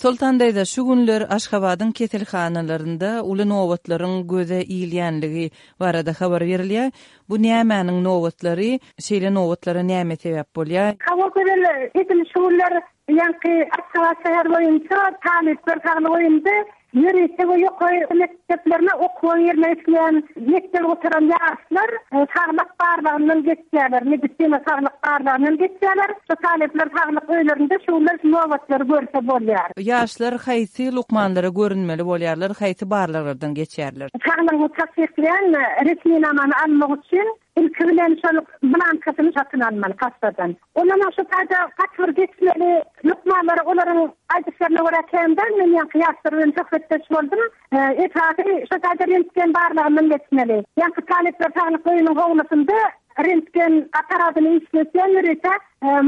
Soltan daýza, şu günler Aşgabadyň keselhanalarynda uly nobatlaryň göze ilýänligi barada habar berilýär. Bu nämäniň nobatlary? Şeýle nobatlara näme sebäp bolýar? Hawa Gözel, edil şu günler ýaňky Aşgabat şäheri boýunça talyplar saglyk öýünde Ýörite we ýokary mekdeplerine okuwa girmek isleýän mekdebi gutaran ýaşlar saglyk barlagyndan geçýärler, medisina saglyk barlagyndan geçýärler. Şu talyplar saglyk öýlerinde şu günler şu nobatlary görse bolýar. Ýaşlar haýsy lukmanlara görünmeli bolýarlar, haýsy barlaglardan geçýärler? Saglygyňy tassyklaýan resminamany almak üçin Ilki bilen şol blankasyny satyn almaly kassadan. Ondanam şu taýda gaty bir geçmeli lukmanlar olaryň aýdyşlaryna görä kän däl, men ýaňky ýaşlar bilen söhbetdeş boldum. Esasy şu taýda rentgen barlagyndan geçmeli. Ýaňky talyplar saglyk öýüniň howlusynda rentgen apparatyny işletýän ýörite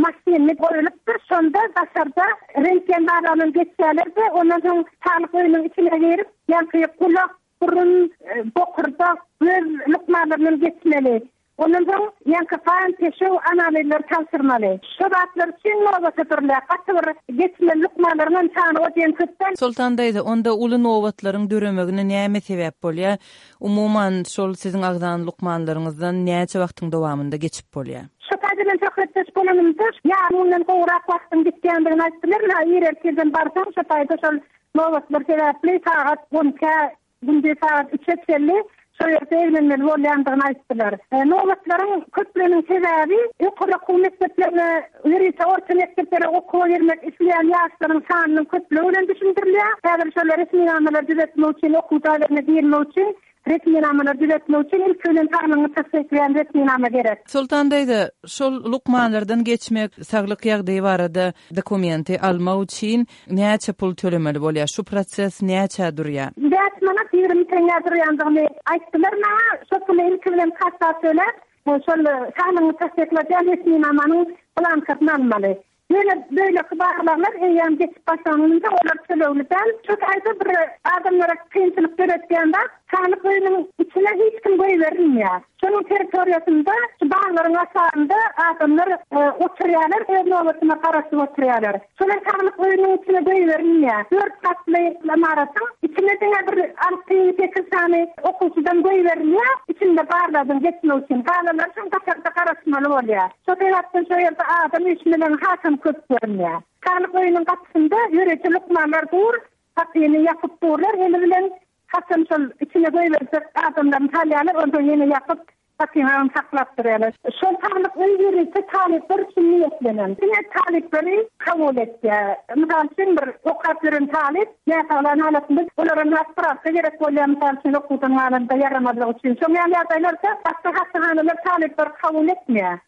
maşyny goýulypdyr. Şonda daşarda rentgen barlagyndan geçýärler-de, ondan soň saglyk öýüniň içine girip, ýaňky gulak, Burun, bokurdak, göz lukmanlaryndan geçmeli. Ondan soň ýaňky gan, peşew analizleri tabşyrmaly. Şo zatlar üçin nobata durulýar. Gaty bir geçmeli lukmanlaryň hem sany o diýen köp däl. Soltan daýza, onda uly nobatlaryň döremegine näme sebäp bolýar? Umuman, şol siziň agzan lukmanlaryňyzdan näçe wagtyň dowamynda geçip bolýar? Şo taýda bilen söhbetdeş bolanymda, ýarym günden gowrak wagtyň gitýändigini aýtdylar. Ynha, ir ertirden barsaň, şo taýda şol Nobatlar sebäpli sagat on ikä, gündiz sagat üçe çenli şo ýerde eglenmeli bolýandygyny aýtdylar. Nobatlaryň köplüginiň sebäbi ýokary okuw mekdeplerine, ýörite orta mekdeplere okuwa girmek isleýän ýaşlaryň sanynyň köplügi bilen düşündirilýär. Häzir şol resminamalary düzetmek üçin, okuw jaýlaryna girmek üçin Resminamalary düzetmek üçin ilki bilen saglygyňy tassyklaýan resminama gerek. Soltan daýza, şol lukmanlardan geçmek, saglyk ýagdaýy barada dokumenti almak üçin näçe pul tölemeli bolýar? Şu proses näçä durýar? 5 manat 20 teňňä durýandygyny aýtdylar maňa. Şo puly ilki bilen kassa töläp, şol saglygyňy tassykladýan resminamanyň blankasyny almaly. Ýöne beýleki barlaglar eýýäm geçip başlanylynda olar tölegli däl. Şu taýda bir adamlara kynçylyk döretýän zat, saglyk öýüniň içine hiç kim goýberilmeýär. Şonuň territoriýasynda şu baglaryň aşagynda adamlar oturýarlar, öz nobatyna garaşyp oturýarlar. Şolar saglyk öýüniň içine goýberilmeýär. Dört gatly ymaratyň içine diňe bir alty, sekiz sany okuwçydan goýberilýär, içinde barlagdan geçmek üçin. Galanlary şoň daşarda garaşmaly bolýar. Şo sebäpden şo ýerde adam üýşmeleňi hasam köp görünýär. Saglyk öýüniň gapysynda ýörite lukmanlar dur, gapyny ýapyp durlar, eli bilen haçan şol içine goýberjek adamlaryny salýarlar, onsoň ýene ýapyp, gapyny agyn saklap durýarlar. Şol saglyk öýi ýörite talyplar üçin niýetlenen. Diňe talyplary kabul etýär. Mysal üçin, bir okap ýören talyp näsaglan halatynda olara nagt sprawka gerek bolýar, mysal üçin, okuwdan galanda ýaramazlygy üçin. Şoň ýaly ýagdaýlarda başga hassahanalar talyplary kabul etmeýär.